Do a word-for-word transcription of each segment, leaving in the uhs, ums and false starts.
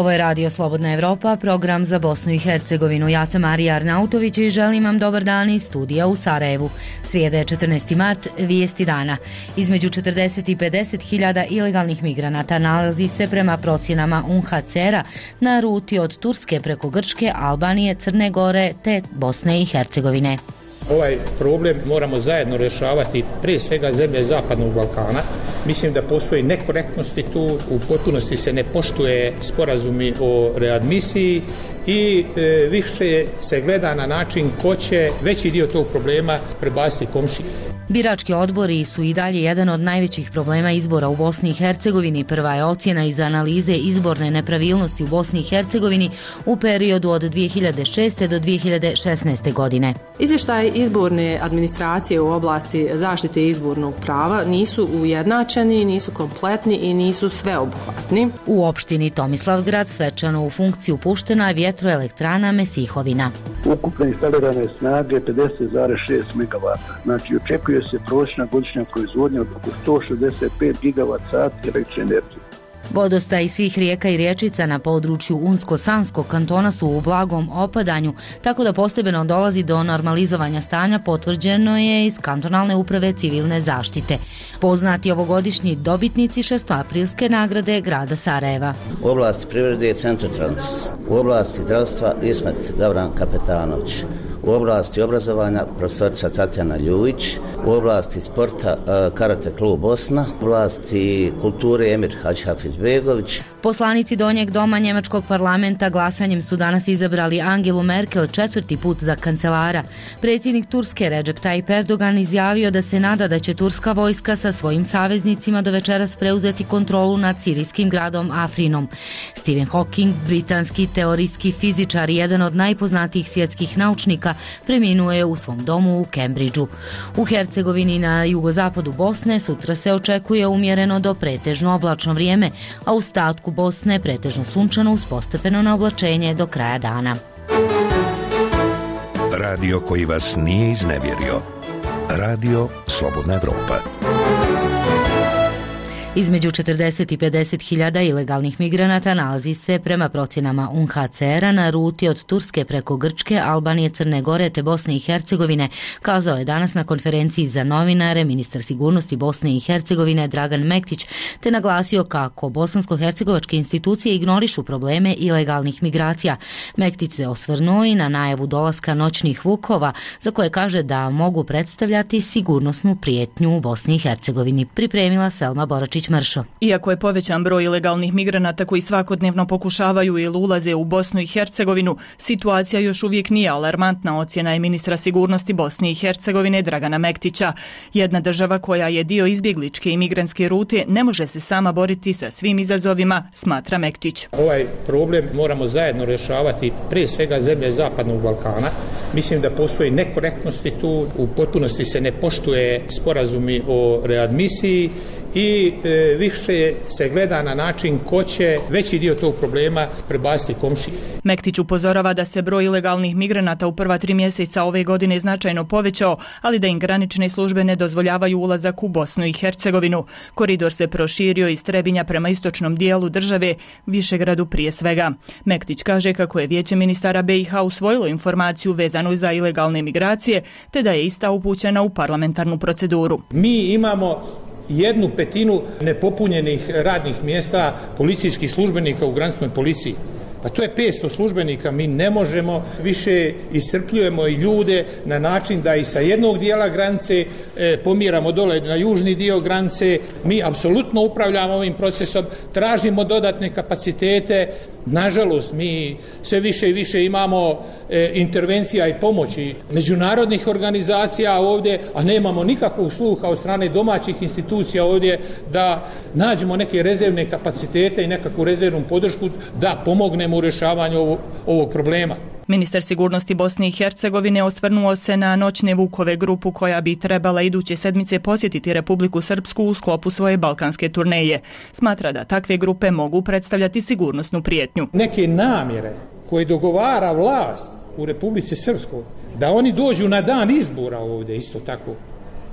Ovo je Radio Slobodna Evropa, program za Bosnu i Hercegovinu. Ja sam Marija Arnautović i želim vam dobar dan iz studija u Sarajevu. Srijeda je četrnaesti mart, vijesti dana. Između četrdeset i pedeset hiljada ilegalnih migranata nalazi se prema procjenama U N H C R-a na ruti od Turske preko Grčke, Albanije, Crne Gore te Bosne i Hercegovine. Ovaj problem moramo zajedno rješavati, prije svega zemlje Zapadnog Balkana. Mislim da postoji nekorektnosti tu, u potpunosti se ne poštuje sporazumi o readmisiji i e, više se gleda na način ko će veći dio tog problema prebaciti komšiji. Birački odbori su i dalje jedan od najvećih problema izbora u Bosni i Hercegovini. Prva je ocjena iz analize izborne nepravilnosti u Bosni i Hercegovini u periodu od dvije hiljade šeste do dvije hiljade šesnaeste godine. Izvještaj izborne administracije u oblasti zaštite izbornog prava nisu ujednačeni, nisu kompletni i nisu sveobuhvatni. U opštini Tomislavgrad svečano u funkciju puštena je vjetroelektrana Mesihovina. Ukupne instalirane snage pedeset zarez šest megavata. Znači očekuje se prosječna godišnja proizvodnja od oko sto šezdeset pet gigavat sati električne energije. Vodostaj svih rijeka i riječica na području Unsko-Sanskog kantona su u blagom opadanju, tako da postepeno dolazi do normalizovanja stanja, potvrđeno je iz kantonalne uprave civilne zaštite. Poznati ovogodišnji dobitnici šestoaprilske nagrade grada Sarajeva. U oblasti privrede je Centrotrans, u oblasti zdravstva Ismet Gavran Kapetanović, u oblasti obrazovanja profesorica Tatjana Ljujić, u oblasti sporta Karate klub Bosna, u oblasti kulture Emir Hadžihafizbegović. Poslanici Donjeg doma njemačkog parlamenta glasanjem su danas izabrali Angelu Merkel četvrti put za kancelara. Predsjednik Turske Recep Tayyip Erdogan izjavio da se nada da će turska vojska sa svojim saveznicima do večeras preuzeti kontrolu nad sirijskim gradom Afrinom. Stephen Hawking, britanski teorijski fizičar i jedan od najpoznatijih svjetskih naučnika, preminuo je u svom domu u Cambridgeu. U Hercegovini na jugozapadu Bosne sutra se očekuje umjereno do pretežno oblačno vrijeme, a u ostatku Bosne pretežno sunčano uz postepeno na oblačenje do kraja dana. Radio koji vas nije iznevjerio. Radio Slobodna Evropa. Između četrdeset i pedeset hiljada ilegalnih migranata nalazi se prema procjenama U N H C R-a na ruti od Turske preko Grčke, Albanije, Crne Gore te Bosne i Hercegovine, kazao je danas na konferenciji za novinare ministar sigurnosti Bosne i Hercegovine Dragan Mektić, te naglasio kako bosansko-hercegovačke institucije ignorišu probleme ilegalnih migracija. Mektić se osvrnuo i na najavu dolaska noćnih vukova, za koje kaže da mogu predstavljati sigurnosnu prijetnju u Bosni i Hercegovini. Pripremila Selma Boračić Mršo. Iako je povećan broj ilegalnih migranata koji svakodnevno pokušavaju ili ulaze u Bosnu i Hercegovinu, situacija još uvijek nije alarmantna, ocjena je ministra sigurnosti Bosne i Hercegovine Dragana Mektića. Jedna država koja je dio izbjegličke i migrantske rute ne može se sama boriti sa svim izazovima, smatra Mektić. Ovaj problem moramo zajedno rješavati, prije svega zemlje Zapadnog Balkana. Mislim da postoji nekorektnosti tu, u potpunosti se ne poštuje sporazumi o readmisiji i e, više se gleda na način ko će veći dio tog problema prebaciti komšiji. Mektić upozorava da se broj ilegalnih migranata u prva tri mjeseca ove godine značajno povećao, ali da im granične službe ne dozvoljavaju ulazak u Bosnu i Hercegovinu. Koridor se proširio iz Trebinja prema istočnom dijelu države, Višegradu prije svega. Mektić kaže kako je Vijeće ministara B i H usvojilo informaciju vezanu za ilegalne migracije, te da je ista upućena u parlamentarnu proceduru. Mi imamo jednu petinu nepopunjenih radnih mjesta policijskih službenika u graničnoj policiji. Pa to je petsto službenika, mi ne možemo više, iscrpljujemo i ljude na način da i sa jednog dijela granice e, pomjeramo dole na južni dio granice. Mi apsolutno upravljamo ovim procesom, tražimo dodatne kapacitete. Nažalost, mi sve više i više imamo e, intervencija i pomoći međunarodnih organizacija ovdje, a nemamo nikakvog sluha od strane domaćih institucija ovdje da nađemo neke rezervne kapacitete i nekakvu rezervnu podršku da pomognemo u rješavanju ovog, ovog problema. Ministar sigurnosti Bosne i Hercegovine osvrnuo se na noćne vukove, grupu koja bi trebala iduće sedmice posjetiti Republiku Srpsku u sklopu svoje balkanske turneje. Smatra da takve grupe mogu predstavljati sigurnosnu prijetnju. Neke namjere koje dogovara vlast u Republici Srpskoj, da oni dođu na dan izbora ovdje isto tako,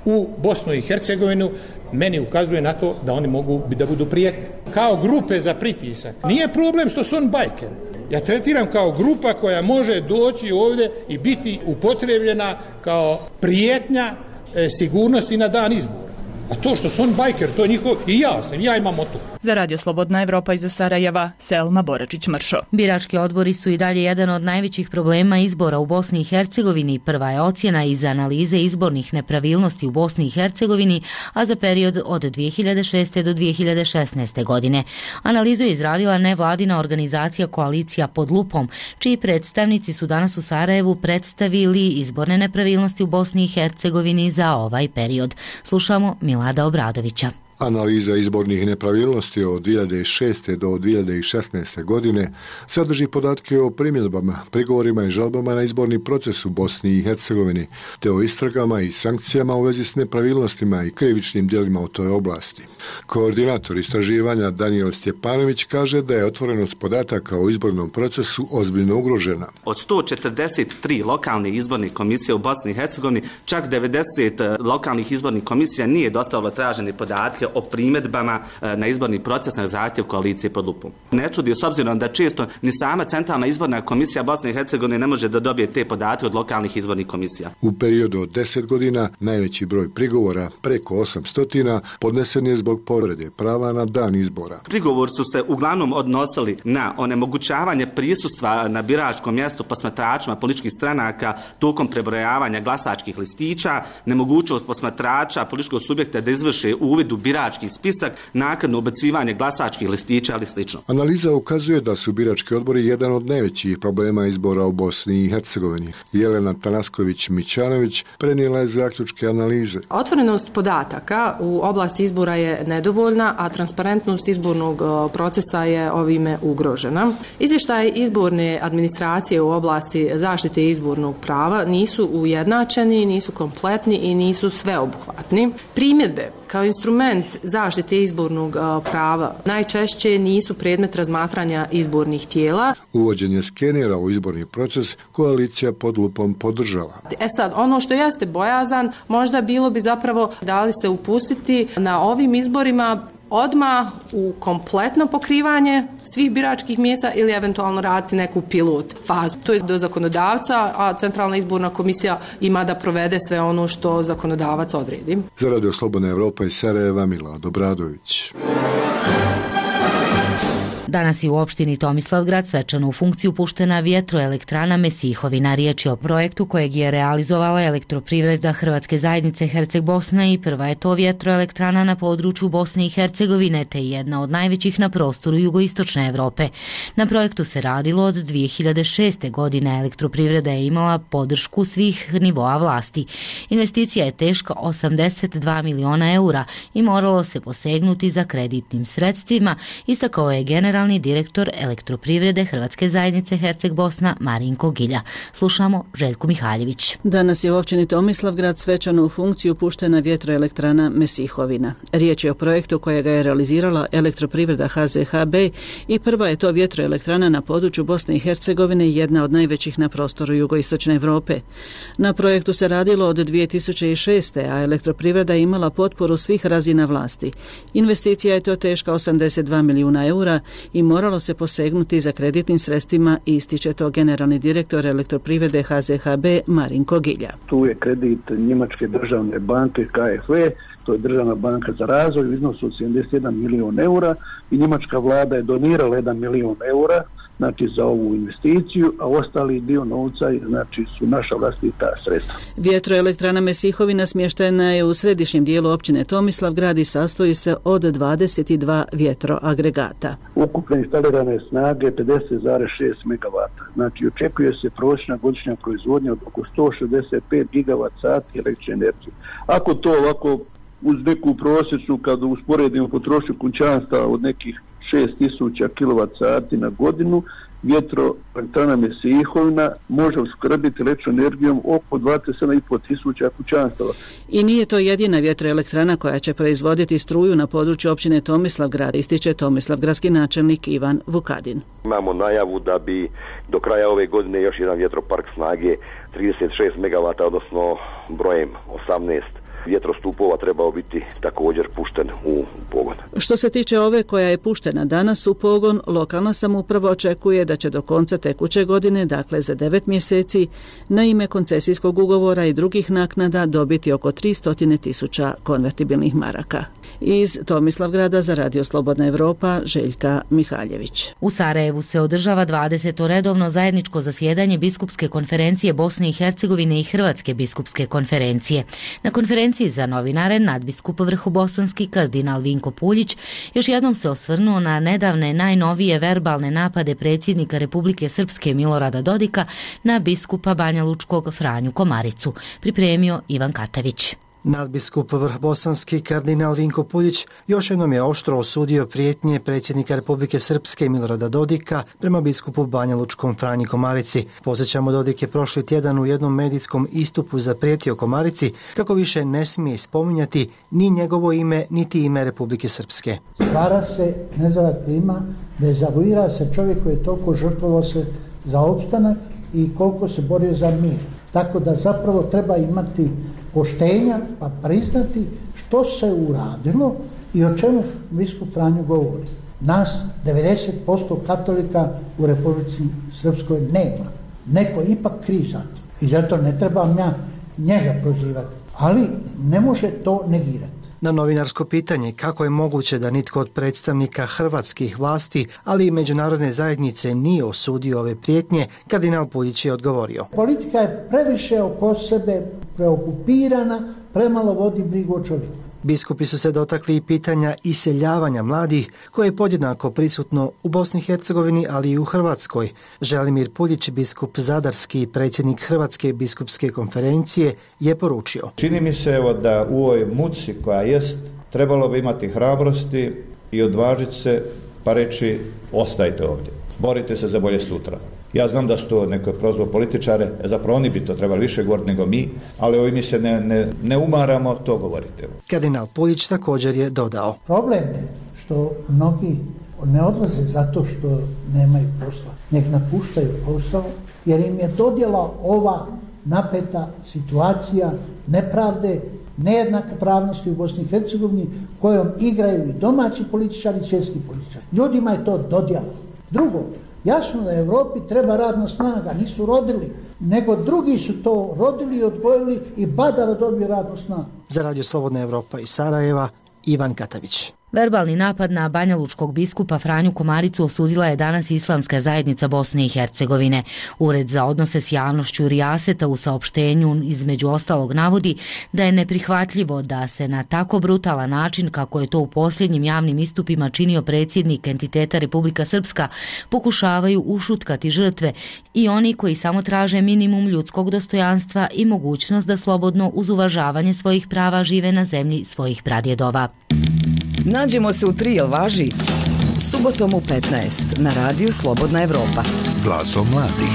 u Bosnu i Hercegovinu, meni ukazuje na to da oni mogu da budu prijetni. Kao grupe za pritisak. Nije problem što su on bajker. Ja tretiram kao grupa koja može doći ovdje i biti upotrebljena kao prijetnja e, sigurnosti na dan izbora. A to što su on bajker, to je njihov, i ja sam, ja imam moto. Za Radio Slobodna Evropa iz Sarajeva, Selma Boračić-Mršo. Birački odbori su i dalje jedan od najvećih problema izbora u Bosni i Hercegovini. Prva je ocjena iz analize izbornih nepravilnosti u Bosni i Hercegovini, a za period od dvije hiljade šeste do dvije hiljade šesnaeste. godine. Analizu je izradila nevladina organizacija Koalicija pod lupom, čiji predstavnici su danas u Sarajevu predstavili izborne nepravilnosti u Bosni i Hercegovini za ovaj period. Slušamo Milada Obradovića. Analiza izbornih nepravilnosti od dvije hiljade šeste. do dvije hiljade šesnaeste. godine sadrži podatke o primjedbama, prigovorima i žalbama na izborni proces u Bosni i Hercegovini, te o istragama i sankcijama u vezi s nepravilnostima i krivičnim djelima u toj oblasti. Koordinator istraživanja Danijel Stjepanović kaže da je otvorenost podataka o izbornom procesu ozbiljno ugrožena. Od sto četrdeset tri lokalne izborne komisije u Bosni i Hercegovini, čak devedeset lokalnih izbornih komisija nije dostavilo tražene podatke o primjedbama na izborni proces na zahtjev Koalicije pod lupom. Ne čudi s obzirom da često ni sama Centralna izborna komisija Bosne i Hercegovine ne može da dobije te podatke od lokalnih izbornih komisija. U periodu od deset godina najveći broj prigovora, preko osamsto, podnesen je zbog povrede prava na dan izbora. Prigovor su se uglavnom odnosili na onemogućavanje prisustva na biračkom mjestu posmatračima političkih stranaka tokom prebrojavanja glasačkih listića, nemogućnost posmatrača političkog subjekta da izvrše uvid u birački spisak, naknadno ubacivanje glasačkih listića ali slično. Analiza ukazuje da su birački odbori jedan od najvećih problema izbora u Bosni i Hercegovini. Jelena Tanasković-Mićanović prenijela je zaključke analize. Otvorenost podataka u oblasti izbora je nedovoljna, a transparentnost izbornog procesa je ovime ugrožena. Izvještaj izborne administracije u oblasti zaštite izbornog prava nisu ujednačeni, nisu kompletni i nisu sveobuhvatni. Primjedbe kao instrument zaštite izbornog prava najčešće nisu predmet razmatranja izbornih tijela. Uvođenje skenera u izborni proces Koalicija pod lupom podržava. E sad, ono što jeste bojazan, možda bilo bi zapravo da li se upustiti na ovim izborima odmah u kompletno pokrivanje svih biračkih mjesta ili eventualno raditi neku pilot fazu. To je do zakonodavca, a Centralna izborna komisija ima da provede sve ono što zakonodavac odredi. Za Radio Slobodna Evropa iz Sarajeva, Milad Obradović. Danas je u opštini Tomislavgrad svečano u funkciju puštena vjetroelektrana Mesihovina. Riječ je o projektu kojeg je realizovala Elektroprivreda Hrvatske zajednice Herceg-Bosna i prva je to vjetroelektrana na području Bosne i Hercegovine, te jedna od najvećih na prostoru jugoistočne Evrope. Na projektu se radilo od dvije hiljade šeste. godine. Elektroprivreda je imala podršku svih nivoa vlasti. Investicija je teška osamdeset dva miliona eura i moralo se posegnuti za kreditnim sredstvima, istakao je general direktor Elektroprivrede Hrvatske zajednice Herceg-Bosna Marinko Gilja. Slušamo Željku Mihaljević. Danas je u općini Tomislavgrad svečano u funkciju puštena vjetroelektrana Mesihovina. Riječ je o projektu kojega je realizirala Elektroprivreda H Z H B i prva je to vjetroelektrana na području Bosne i Hercegovine i jedna od najvećih na prostoru jugoistočne Evrope. Na projektu se radilo od dvije tisuće šeste. a Elektroprivreda je imala potporu svih razina vlasti. Investicija je to teška osamdeset dva milijuna eura i moralo se posegnuti za kreditnim sredstvima, ističe to generalni direktor Elektroprivrede H Z H B Marinko Gilja. Tu je kredit Njemačke državne banke K F E, to je državna banka za razvoj u iznosu od sedamdeset jedan milijun eura i njemačka vlada je donirala jedan milijun eura znači za ovu investiciju, a ostali dio novca znači su naša vlastita sredstva. Vjetroelektrana Mesihovina smještena je u središnjem dijelu općine Tomislavgrad i sastoji se od dvadeset dva vjetroagregata. Ukupno instalirane snage pedeset zarez šest megavata. Znači očekuje se prosječna godišnja proizvodnja od oko sto šezdeset pet gigavat sati električne energije. Ako to ovako uz neku prosječnu, kada usporedimo potrošnju kućanstva od nekih šest tisuća kilovat sati na godinu, vjetroelektrana Mesihovina može uskrbiti električnom energijom oko dvadeset sedam i pol tisuća kućanstava. I nije to jedina vjetroelektrana koja će proizvoditi struju na području općine Tomislavgrad, ističe tomislavgradski načelnik Ivan Vukadin. Imamo najavu da bi do kraja ove godine još jedan vjetropark snage trideset šest megavata, odnosno brojem osamnaest vjetrostupova trebao biti također pušten u pogon. Što se tiče ove koja je puštena danas u pogon, lokalna samouprava očekuje da će do konca tekuće godine, dakle za devet mjeseci, na ime koncesijskog ugovora i drugih naknada dobiti oko tristo tisuća konvertibilnih maraka. Iz Tomislavgrada za Radio Slobodna Evropa, Željka Mihaljević. U Sarajevu se održava dvadeseto redovno zajedničko zasjedanje Biskupske konferencije Bosne i Hercegovine i Hrvatske biskupske konferencije. Na konferenciji za novinare nadbiskup vrhobosanski kardinal Vinko Puljić još jednom se osvrnuo na nedavne najnovije verbalne napade predsjednika Republike Srpske Milorada Dodika na biskupa Banjalučkog Franju Komaricu, pripremio Ivan Katavić. Nadbiskup vrhbosanski kardinal Vinko Puljić još jednom je oštro osudio prijetnje predsjednika Republike Srpske Milorada Dodika prema biskupu Banjalučkom Franji Komarici. Posjećamo, Dodik je prošli tjedan u jednom medijskom istupu zaprijetio Komarici kako više ne smije spominjati ni njegovo ime, niti ime Republike Srpske. Stvara se nezdrava klima, dezavuira se čovjek koji je toliko žrtvovao se za opstanak i koliko se borio za mir. Tako da zapravo treba imati poštenja pa priznati što se uradilo i o čemu biskup Franjo govori. Nas devedeset posto katolika u Republici Srpskoj nema. Neko ipak kriv za to. I zato ne trebam ja njega prozivati. Ali ne može to negirati. Na novinarsko pitanje kako je moguće da nitko od predstavnika hrvatskih vlasti, ali i međunarodne zajednice nije osudio ove prijetnje, kardinal Puljić je odgovorio. Politika je previše oko sebe preokupirana, premalo vodi brigu o čovjeku. Biskupi su se dotakli i pitanja iseljavanja mladih, koje je podjednako prisutno u Bosni i Hercegovini, ali i u Hrvatskoj. Želimir Puljić, biskup zadarski i predsjednik Hrvatske biskupske konferencije, je poručio. Čini mi se evo da u ovoj muci koja jest, trebalo bi imati hrabrosti i odvažiti se pa reći ostajte ovdje. Borite se za bolje sutra. Ja znam da su to neko prozvao političare, zapravo oni bi to trebali više govoriti nego mi, ali ovi mi se ne, ne, ne umaramo, to govorite. Kardinal Puljić također je dodao. Problem je što mnogi ne odlaze zato što nemaju posla, nek napuštaju posao, jer im je dodjela ova napeta situacija nepravde, nejednake pravnosti u Bosni i Hercegovini, kojom igraju i domaći političari i svjetski političari. Ljudima je to dodjela. Drugo, jasno da Europi treba radna snaga, nisu rodili, nego drugi su to rodili i odgojili i badava dobio radnu snagu. Za Radio Slobodna Evropa iz Sarajeva, Ivan Katavić. Verbalni napad na banjalučkog biskupa Franju Komaricu osudila je danas Islamska zajednica Bosne i Hercegovine. Ured za odnose s javnošću Rijaseta u saopštenju između ostalog navodi da je neprihvatljivo da se na tako brutalan način, kako je to u posljednjim javnim istupima činio predsjednik entiteta Republika Srpska, pokušavaju ušutkati žrtve i oni koji samo traže minimum ljudskog dostojanstva i mogućnost da slobodno uz uvažavanje svojih prava žive na zemlji svojih pradjedova. Nađemo se u tri, jel važi? Subotom u petnaest na radiju Slobodna Evropa. Glasom mladih.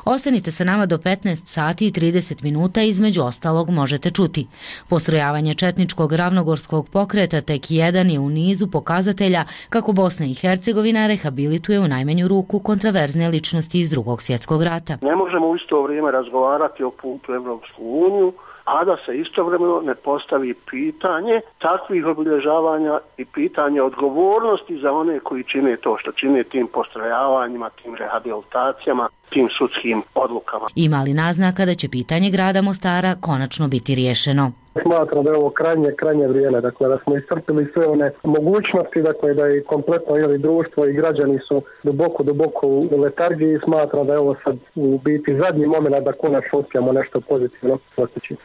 Ostanite sa nama do petnaest sati i trideset minuta, između ostalog možete čuti. Postrojavanje četničkog ravnogorskog pokreta tek jedan je u nizu pokazatelja kako Bosna i Hercegovina rehabilituje u najmanju ruku kontraverzne ličnosti iz Drugog svjetskog rata. Ne možemo u isto vrijeme razgovarati o putu Evropsku uniju, a da se istovremeno ne postavi pitanje takvih obilježavanja i pitanje odgovornosti za one koji čine to što čine tim postrojavanjima, tim rehabilitacijama, tim sudskim odlukama. Ima li naznaka da će pitanje grada Mostara konačno biti riješeno? Smatram da je ovo krajnje, krajnje vrijeme, dakle da smo iscrpili sve one mogućnosti, dakle da je kompletno ili društvo i građani su duboko, duboko u letargiji i smatram da je ovo sad u biti zadnji moment da konačno uspijemo nešto pozitivno postići.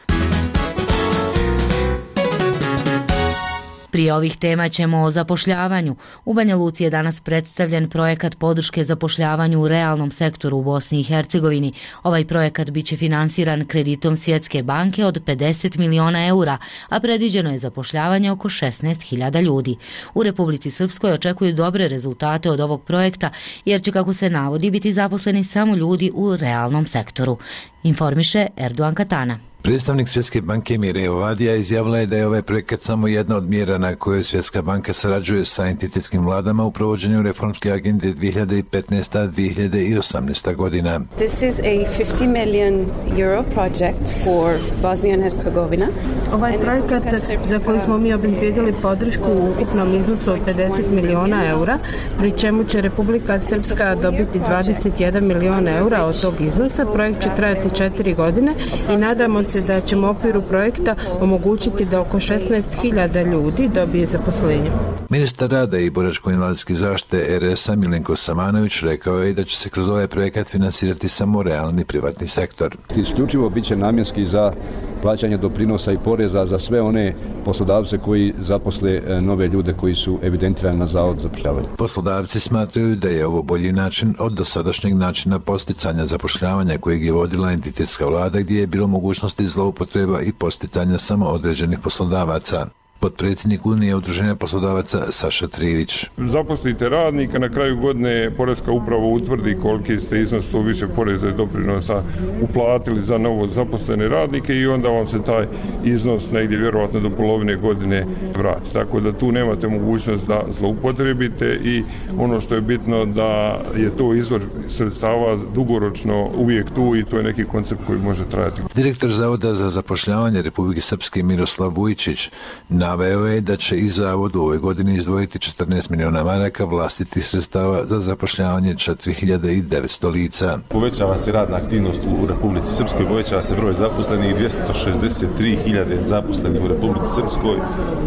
Prije ovih tema ćemo o zapošljavanju. U Banja Luci je danas predstavljen projekat podrške zapošljavanju u realnom sektoru u Bosni i Hercegovini. Ovaj projekat biće finansiran kreditom Svjetske banke od pedeset miliona eura, a predviđeno je zapošljavanje oko šesnaest hiljada ljudi. U Republici Srpskoj očekuju dobre rezultate od ovog projekta, jer će, kako se navodi, biti zaposleni samo ljudi u realnom sektoru. Informiše Erdogan Katana. Predstavnik Svjetske banke Mire Ovadija izjavila je da je ovaj projekat samo jedna od mjera na kojoj Svjetska banka sarađuje sa entitetskim vladama u provođenju reformske agende dvije hiljade petnaesta do dvije hiljade osamnaeste godina. This is a fifty million euro project for Bosnia and Herzegovina. Ovaj projekat za koji smo mi obezbijedili podršku u ukupnom iznosu od pedeset miliona eura, pri čemu će Republika Srpska dobiti dvadeset jedan milion eura od tog iznosa. Projekt će trajati četiri godine i nadamo se da ćemo u okviru projekta omogućiti da oko šesnaest hiljada ljudi dobije zaposlenje. Ministar rada i boračko-invalidske zaštite er es a Milenko Samanović rekao je da će se kroz ovaj projekat finansirati samo realni privatni sektor. Isključivo bit će namjenski za plaćanje doprinosa i poreza za sve one poslodavce koji zaposle nove ljude koji su evidentirani na Zavod za zapošljavanje. Poslodavci smatraju da je ovo bolji način od dosadašnjeg načina posticanja zapošljavanja kojeg je vodila entitetska vlada, gdje je bilo mogućnosti zloupotreba i posticanja samo određenih poslodavaca. Potpredsjednik Unije udruženja poslodavaca Saša Trivić. Zaposlite radnika, na kraju godine Poreska uprava utvrdi koliki ste iznos to više poreza i doprinosa uplatili za novo zaposlene radnike i onda vam se taj iznos negdje vjerovatno do polovine godine vrati. Tako da tu nemate mogućnost da zloupotrebite i ono što je bitno da je to izvor sredstava dugoročno uvijek tu i to je neki koncept koji može trajati. Direktor Zavoda za zapošljavanje Republike Srpske Miroslav Vujčić naveo je da će i Zavod u ovoj godini izdvojiti četrnaest miliona maraka vlastitih sredstava za zapošljavanje četiri hiljade devetsto lica. Povećava se radna aktivnost u Republici Srpskoj, povećava se broj zaposlenih, dvjesto šezdeset tri hiljade zaposlenih u Republici Srpskoj,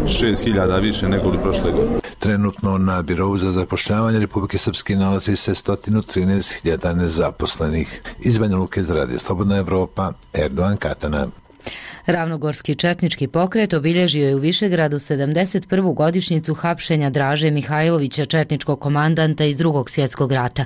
šest hiljada više nego li prošle godine. Trenutno na Birovu za zapošljavanje Republike Srpske nalazi se sto trinaest hiljada nezaposlenih. Iz Banja Luke za Radio Slobodna Evropa, Erdogan Katana. Ravnogorski četnički pokret obilježio je u Višegradu sedamdeset prvu godišnjicu hapšenja Draže Mihajlovića, četničkog komandanta iz Drugog svjetskog rata.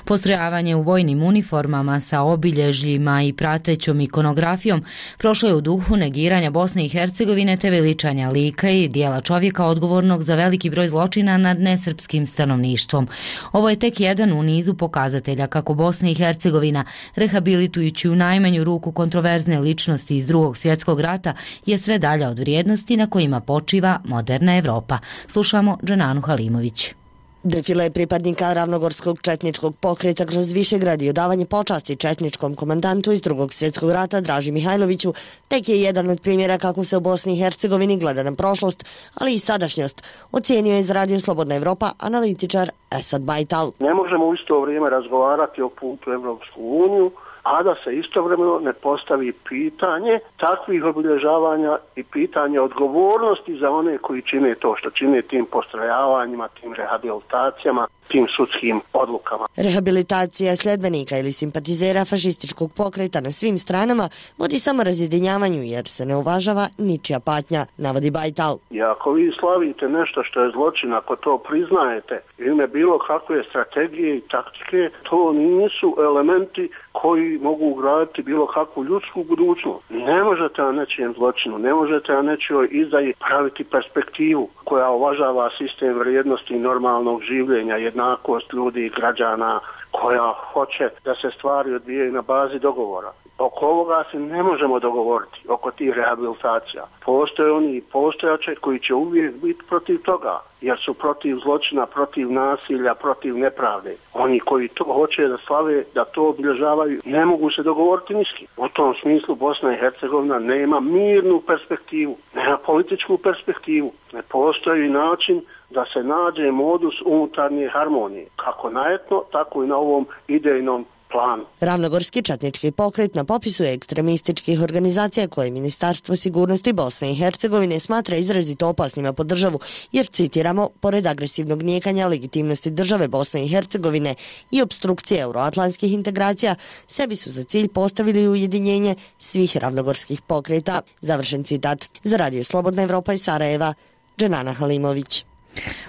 Postrojavanje u vojnim uniformama sa obilježjima i pratećom ikonografijom prošlo je u duhu negiranja Bosne i Hercegovine te veličanja lika i dijela čovjeka odgovornog za veliki broj zločina nad nesrpskim stanovništvom. Ovo je tek jedan u nizu pokazatelja kako Bosna i Hercegovina, rehabilitujući u najmanju ruku kontroverzne ličnosti iz Drugog svjetskog rata, je sve dalja od vrijednosti na kojima počiva moderna Evropa. Slušamo Dženanu Halimović. Defile pripadnika Ravnogorskog četničkog pokreta kroz Višegrad i odavanje počasti četničkom komandantu iz Drugog svjetskog rata Draži Mihajloviću tek je jedan od primjera kako se u Bosni i Hercegovini gleda na prošlost, ali i sadašnjost, ocijenio je za Radio Slobodna Evropa analitičar Esad Bajtal. Ne možemo u isto vrijeme razgovarati o putu u Evropsku uniju, a da se istovremeno ne postavi pitanje takvih obilježavanja i pitanje odgovornosti za one koji čine to što čine tim postrojavanjima, tim rehabilitacijama, tim sudskim odlukama. Rehabilitacija sljedbenika ili simpatizera fašističkog pokreta na svim stranama vodi samo razjedinjavanju jer se ne uvažava ničija patnja, navodi Bajtal. I ako vi slavite nešto što je zločin, ako to priznajete u ime bilo kakve strategije i taktike, to nisu elementi koji mogu ugraditi bilo kakvu ljudsku budućnost. Ne možete na nečijem zločinu, ne možete na nečijoj izdaji praviti perspektivu koja uvažava sistem vrijednosti i normalnog življenja, jednakost ljudi i građana, koja hoće da se stvari odvijaju na bazi dogovora. Oko ovoga se ne možemo dogovoriti, oko tih rehabilitacija. Postoje oni i postojače koji će uvijek biti protiv toga, jer su protiv zločina, protiv nasilja, protiv nepravde. Oni koji to hoće da slave, da to obilježavaju, ne mogu se dogovoriti niski. U tom smislu Bosna i Hercegovina nema mirnu perspektivu, nema političku perspektivu. Ne postoji način da se nađe modus unutarnje harmonije, kako na etno, tako i na ovom idejnom planu. Ravnogorski četnički pokret na popisu je ekstremističkih organizacija koje Ministarstvo sigurnosti Bosne i Hercegovine smatra izrazito opasnima po državu, jer, citiramo, pored agresivnog nijekanja legitimnosti države Bosne i Hercegovine i obstrukcije euroatlantskih integracija, sebi su za cilj postavili ujedinjenje svih ravnogorskih pokreta. Završen citat. Za Radio Slobodna Evropa iz Sarajeva, Dženana Halimović.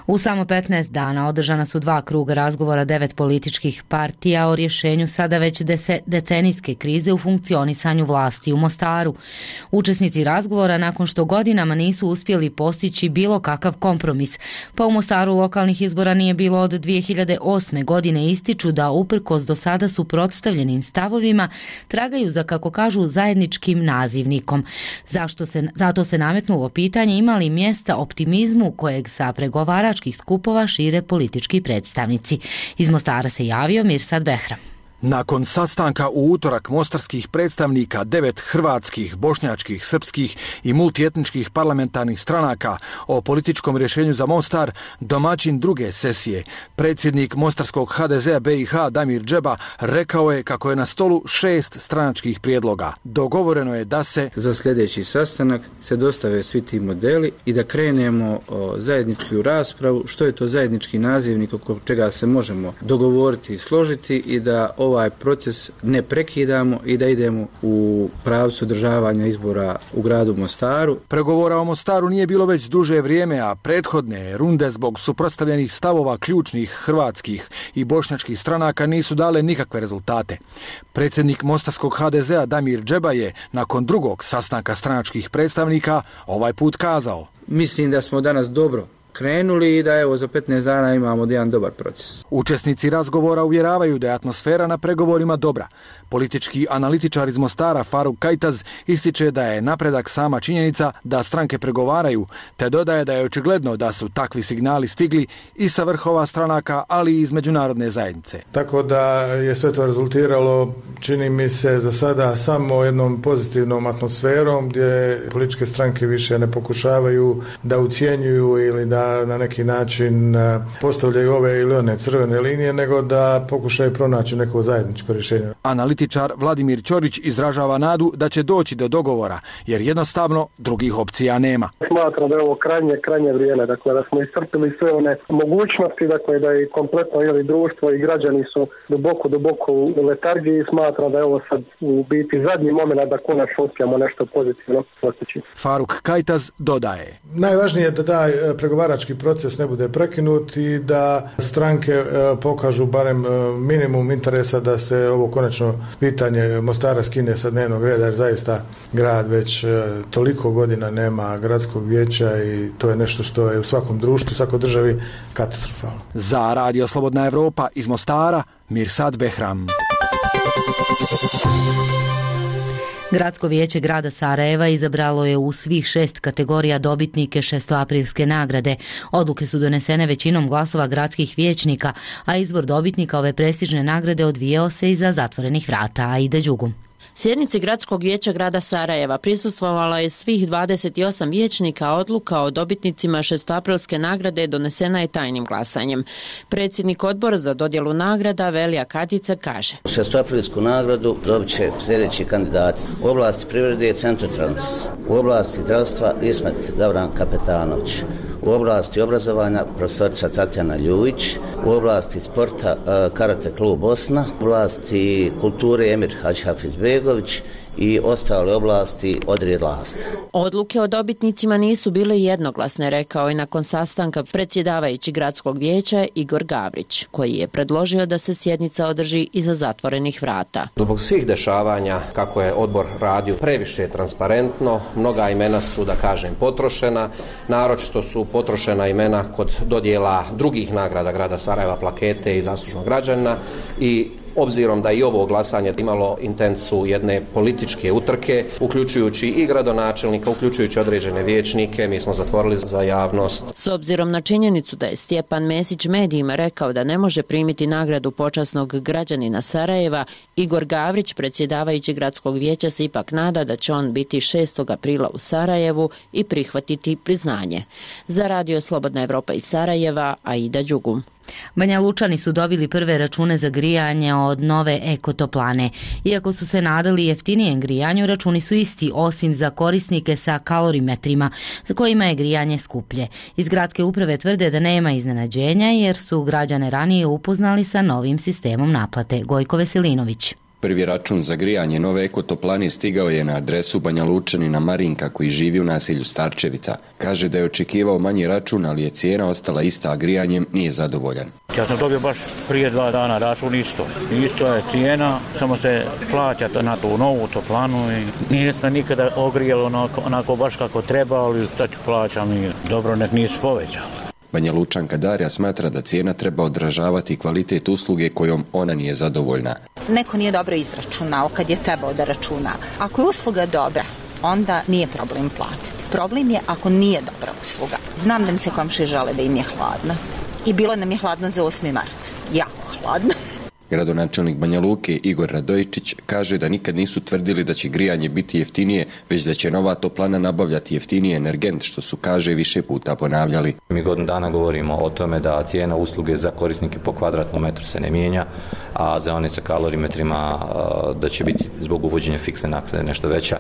U samo petnaest dana održana su dva kruga razgovora devet političkih partija o rješenju sada već decenijske krize u funkcionisanju vlasti u Mostaru. Učesnici razgovora, nakon što godinama nisu uspjeli postići bilo kakav kompromis, pa u Mostaru lokalnih izbora nije bilo od dvije hiljade osme. godine, ističu da uprkos do sada suprotstavljenim stavovima tragaju za, kako kažu, zajedničkim nazivnikom. Zašto se, zato se nametnulo pitanje ima li mjesta optimizmu kojeg sa pregovaračkih skupova šire politički predstavnici. Iz Mostara se javio Mirsad Behram. Nakon sastanka u utorak mostarskih predstavnika devet hrvatskih, bošnjačkih, srpskih i multietničkih parlamentarnih stranaka o političkom rješenju za Mostar, domaćin druge sesije, predsjednik mostarskog ha de zea be i ha Damir Džeba, rekao je kako je na stolu šest stranačkih prijedloga. Dogovoreno je da se za sljedeći sastanak se dostave svi ti modeli i da krenemo o, zajednički u raspravu što je to zajednički nazivnik oko čega se možemo dogovoriti i složiti i da ovaj proces ne prekidamo i da idemo u pravcu održavanja izbora u gradu Mostaru. Pregovora o Mostaru nije bilo već duže vrijeme, a prethodne runde zbog suprotstavljenih stavova ključnih hrvatskih i bošnjačkih stranaka nisu dale nikakve rezultate. Predsjednik mostarskog ha de zea Damir Džeba je nakon drugog sastanka stranačkih predstavnika ovaj put kazao: Mislim da smo danas dobro krenuli i da evo za petnaest dana imamo jedan dobar proces. Učesnici razgovora uvjeravaju da je atmosfera na pregovorima dobra. Politički analitičar iz Mostara Faruk Kajtaz ističe da je napredak sama činjenica da stranke pregovaraju, te dodaje da je očigledno da su takvi signali stigli i sa vrhova stranaka, ali i iz međunarodne zajednice. Tako da je sve to rezultiralo, čini mi se za sada, samo jednom pozitivnom atmosferom gdje političke stranke više ne pokušavaju da ucjenjuju ili da na neki način postavljaju ove ili one crvene linije, nego da pokušaju pronaći neko zajedničko rješenje. Analitičar Vladimir Ćorić izražava nadu da će doći do dogovora, jer jednostavno drugih opcija nema. Smatram da je ovo krajnje, krajnje vrijeme, dakle da smo iscrpili sve one mogućnosti, dakle da i kompletno ili društvo i građani su duboko, duboko u letargiji. Smatram da je ovo sad u biti zadnji moment da konačno uspijemo nešto pozitivno postići. Faruk Kajtaz dodaje: Najvažnije je da taj pregovarački proces ne bude prekinut i da stranke pokažu barem minimum interesa da se ovo konačno pitanje Mostara skine sa dnevnog reda, jer zaista grad već toliko godina nema gradskog vijeća i to je nešto što je u svakom društvu, u svakoj državi katastrofalno. Za Radio Slobodna Evropa iz Mostara, Mirsad Behram. Gradsko vijeće grada Sarajeva izabralo je u svih šest kategorija dobitnike šestoaprilske nagrade. Odluke su donesene većinom glasova gradskih vijećnika, a izbor dobitnika ove prestižne nagrade odvijao se iza zatvorenih vrata. Aida Đugum. Sjednici Gradskog vijeća grada Sarajeva prisustvovala je svih dvadeset osam vijećnika, a odluka o dobitnicima šestoaprilske nagrade donesena je tajnim glasanjem. Predsjednik odbora za dodjelu nagrada Velija Katica kaže: šestoaprilsku nagradu dobit će sljedeći kandidati. U oblasti privrede Centrotrans, u oblasti zdravstva Ismet Gavran Kapetanović, u oblasti obrazovanja profesorica Tatjana Ljujić, u oblasti sporta Karate klub Bosna, u oblasti kulture Emir Hadžhafizbegović i ostale oblasti Odrijed Lasta. Odluke o dobitnicima nisu bile jednoglasne, rekao je nakon sastanka predsjedavajući gradskog vijeća Igor Gavrić, koji je predložio da se sjednica održi iza zatvorenih vrata. Zbog svih dešavanja, kako je odbor radio previše transparentno, mnoga imena su, da kažem, potrošena, naročito su potrošena imena kod dodjela drugih nagrada grada Sarajeva, plakete i zaslužnog građana, i obzirom da i ovo glasanje imalo intencu jedne političke utrke, uključujući i gradonačelnika, uključujući određene vijećnike, mi smo zatvorili za javnost. S obzirom na činjenicu da je Stjepan Mesić medijima rekao da ne može primiti nagradu počasnog građanina Sarajeva, Igor Gavrić, predsjedavajući gradskog vijeća, se ipak nada da će on biti šestog aprila u Sarajevu i prihvatiti priznanje. Za Radio Slobodna Evropa iz Sarajeva, Aida Đugum. Banja Lučani su dobili prve račune za grijanje od nove ekotoplane. Iako su se nadali jeftinijem grijanju, računi su isti, osim za korisnike sa kalorimetrima, za kojima je grijanje skuplje. Iz gradske uprave tvrde da nema iznenađenja jer su građane ranije upoznali sa novim sistemom naplate. Gojko Veselinović. Prvi račun za grijanje nove ekotoplane stigao je na adresu Banja Lučanina Marinka koji živi u naselju Starčevica. Kaže da je očekivao manji račun, ali je cijena ostala ista, a grijanjem nije zadovoljan. Ja sam dobio baš prije dva dana račun isto. Isto je cijena, samo se plaća na tu novu toplanu i nije se nikada ogrijalo onako, onako baš kako treba, ali šta ću plaćam i dobro nek nisu povećali. Banja Lučanka Darja smatra da cijena treba odražavati kvalitet usluge kojom ona nije zadovoljna. Neko nije dobro izračunao kad je trebao da računa. Ako je usluga dobra, onda nije problem platiti. Problem je ako nije dobra usluga. Znam da mi se komšije žale da im je hladno. I bilo nam je hladno za osmi mart. Jako hladno. Gradonačelnik Banja Luke Igor Radojičić kaže da nikad nisu tvrdili da će grijanje biti jeftinije, već da će nova toplana nabavljati jeftiniji energent, što su, kaže, više puta ponavljali. Mi godinu dana govorimo o tome da cijena usluge za korisnike po kvadratnom metru se ne mijenja, a za one sa kalorimetrima da će biti zbog uvođenja fiksne naknade nešto veća.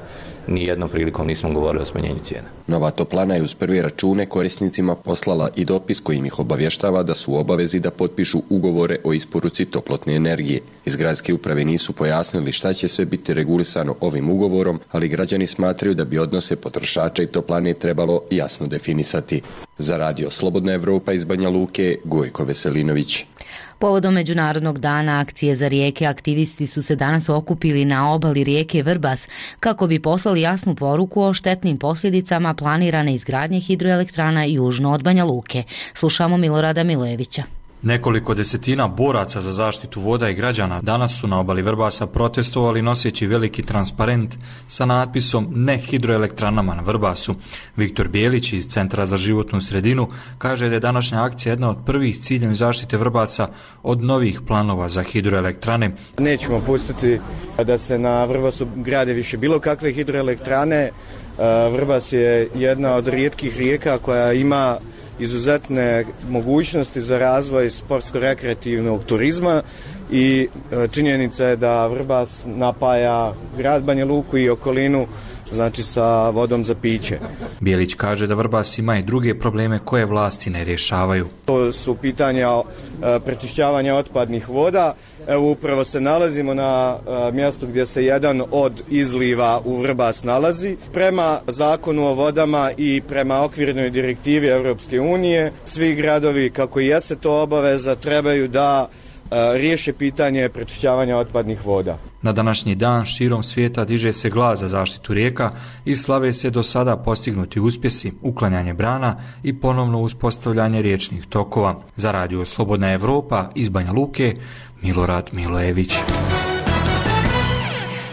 Nijednom prilikom nismo govorili o smanjenju cijena. Nova toplana je uz prve račune korisnicima poslala i dopis kojim ih obavještava da su u obavezi da potpišu ugovore o isporuci toplotne energije. Iz gradske uprave nisu pojasnili šta će sve biti regulisano ovim ugovorom, ali građani smatraju da bi odnose potrošača i toplane trebalo jasno definisati. Za Radio Slobodna Evropa iz Banja Luke, Gojko Veselinović. Povodom Međunarodnog dana akcije za rijeke, aktivisti su se danas okupili na obali rijeke Vrbas kako bi poslali jasnu poruku o štetnim posljedicama planirane izgradnje hidroelektrana južno od Banja Luke. Slušamo Milorada Milojevića. Nekoliko desetina boraca za zaštitu voda i građana danas su na obali Vrbasa protestovali noseći veliki transparent sa natpisom Ne hidroelektranama na Vrbasu. Viktor Bijelić iz Centra za životnu sredinu kaže da je današnja akcija jedna od prvih ciljem zaštite Vrbasa od novih planova za hidroelektrane. Nećemo pustiti da se na Vrbasu grade više bilo kakve hidroelektrane. Vrbas je jedna od rijetkih rijeka koja ima izuzetne mogućnosti za razvoj sportsko-rekreativnog turizma i činjenica je da Vrbas napaja grad Banja Luku i okolinu, znači sa vodom za piće. Bijelić kaže da Vrbas ima i druge probleme koje vlasti ne rješavaju. To su pitanja prečišćavanja otpadnih voda. Evo upravo se nalazimo na mjestu gdje se jedan od izliva u Vrbas nalazi. Prema zakonu o vodama i prema okvirnoj direktivi Europske unije, svi gradovi, kako i jeste to obaveza, trebaju da riješe pitanje prečišćavanja otpadnih voda. Na današnji dan širom svijeta diže se glas za zaštitu rijeka i slave se do sada postignuti uspjesi, uklanjanje brana i ponovno uspostavljanje riječnih tokova. Za Radio Slobodna Evropa iz Banja Luke, Milorad Milojević.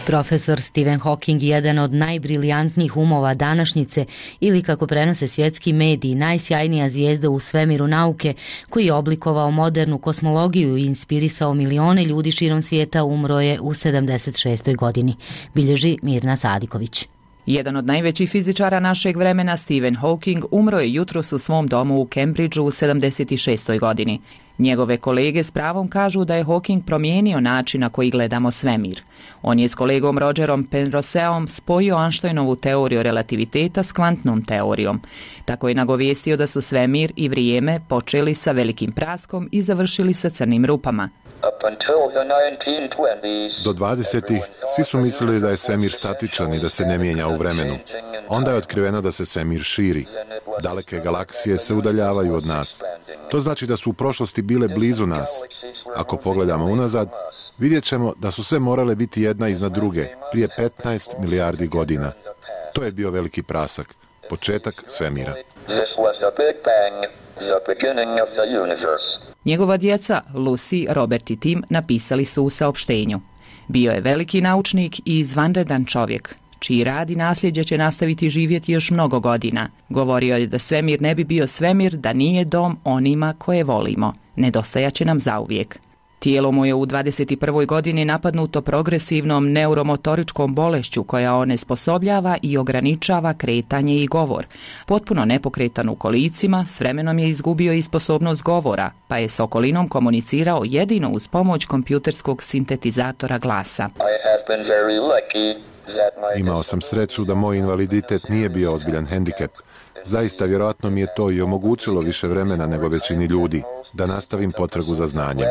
Profesor Stephen Hawking, jedan od najbriljantnijih umova današnjice ili, kako prenose svjetski mediji, najsjajnija zvijezda u svemiru nauke, koji je oblikovao modernu kosmologiju i inspirisao milione ljudi širom svijeta, umro je u sedamdeset šestoj godini, bilježi Mirna Sadiković. Jedan od najvećih fizičara našeg vremena, Stephen Hawking, umro je jutros u svom domu u Cambridgeu u sedamdeset šestoj godini. Njegove kolege s pravom kažu da je Hawking promijenio način na koji gledamo svemir. On je s kolegom Rogerom Penroseom spojio Einsteinovu teoriju relativiteta s kvantnom teorijom. Tako je nagovijestio da su svemir i vrijeme počeli sa velikim praskom i završili sa crnim rupama. Do dvadesetih svi su mislili da je svemir statičan i da se ne mijenja u vremenu. Onda je otkriveno da se svemir širi. Daleke galaksije se udaljavaju od nas. To znači da su u prošlosti bile blizu nas. Ako pogledamo unazad, vidjet ćemo da su sve morale biti jedna iznad druge, prije petnaest milijardi godina. To je bio veliki prasak, početak svemira. Njegova djeca, Lucy, Robert i Tim, napisali su u saopštenju. Bio je veliki naučnik i izvanredan čovjek, čiji rad i nasljeđe će nastaviti živjeti još mnogo godina. Govorio je da svemir ne bi bio svemir da nije dom onima koje volimo. Nedostajaće nam zauvijek. Tijelo mu je u dvadeset prvoj godini napadnuto progresivnom neuromotoričkom bolešću koja onesposobljava i ograničava kretanje i govor. Potpuno nepokretan u kolicima, s vremenom je izgubio i sposobnost govora, pa je s okolinom komunicirao jedino uz pomoć kompjuterskog sintetizatora glasa. Imao sam sreću da moj invaliditet nije bio ozbiljan hendikep. Zaista, vjerojatno mi je to i omogućilo više vremena nego većini ljudi, da nastavim potragu za znanjem.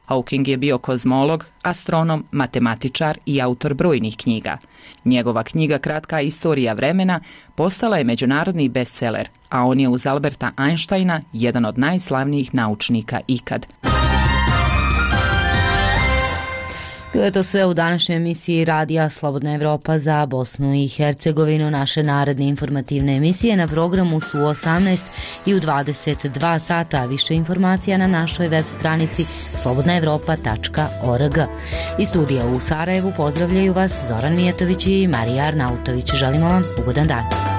Hawking je bio kozmolog, astronom, matematičar i autor brojnih knjiga. Njegova knjiga Kratka istorija vremena postala je međunarodni bestseller, a on je uz Alberta Einsteina jedan od najslavnijih naučnika ikad. Bilo je to sve u današnjoj emisiji Radija Slobodna Evropa za Bosnu i Hercegovinu. Naše naredne informativne emisije na programu su u osamnaest i u dvadeset dva sata. Više informacija na našoj web stranici slobodna evropa tačka org. Iz studija u Sarajevu pozdravljaju vas Zoran Mijetović i Marija Arnautović. Želimo vam ugodan dan.